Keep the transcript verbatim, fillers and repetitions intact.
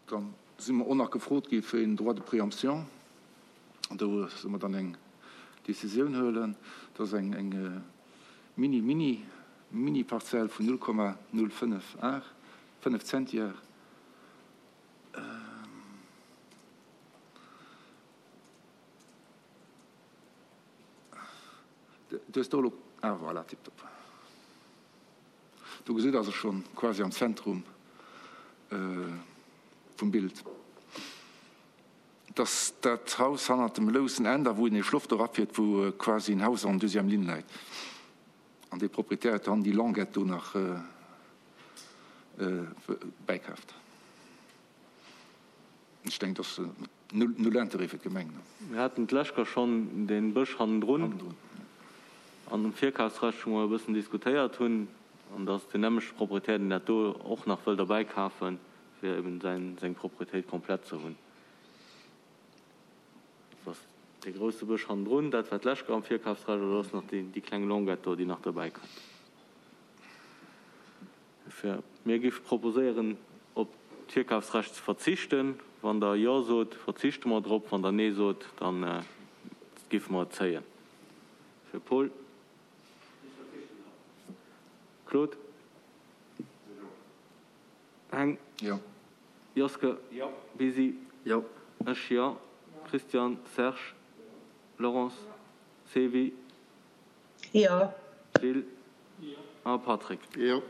Dann si mer och nach gefrot gi fir een Droit de préemption. An do solle mer dann eng Décisioun huelen. Dat ass eng eng mini, mini, mini Parzell vun null Komma null fënnef Ar, fënnef Zentiar. Du hues do elo, ah voilà, tiptop. Do gesitt ass e schonn quasi am Zentrum vum Bild. Et ass dat Haus hannert dem loussen Enn, da wou een e Schloff do erafiert, wou quasi en Haus en deuxième ligne läit. An dee Proprietär huet dann déi Languette do nach bäikaaft. Ech denken, dat ass null Intérêt fir d'Gemeng. Mir haten d'lescht Kéier schonn dee Bësch hannendrun an um Virkafsrecht, wou mer e bëssen diskutéiert hunn, an dass deen nämmlechte Proprietär, deen dat do och nach wëll derbäikafen, fir eben säin, seng Proprietéit komplett ze hunn. Dat ass dee grousse Bësch hannendrun, dat war d'lescht Kéier am Virkafsrecht, an dat ass nach déi, déi kleng Longuette do, déi nach derbäikënnt. Dofir, mir géife proposéieren, op d'Virkafsrecht ze verzichten. Wann Der Jo sot, verzichte mer drop. Wann Der Nee sot, da géife mer et zéien. Fir Paul. Claude. Heng. Jo. Joske. Jo. Bisi. Jo. Ech jo. Christian. Serge. Laurence. Sevi. Jo. Gilles. A Patrick. Jo.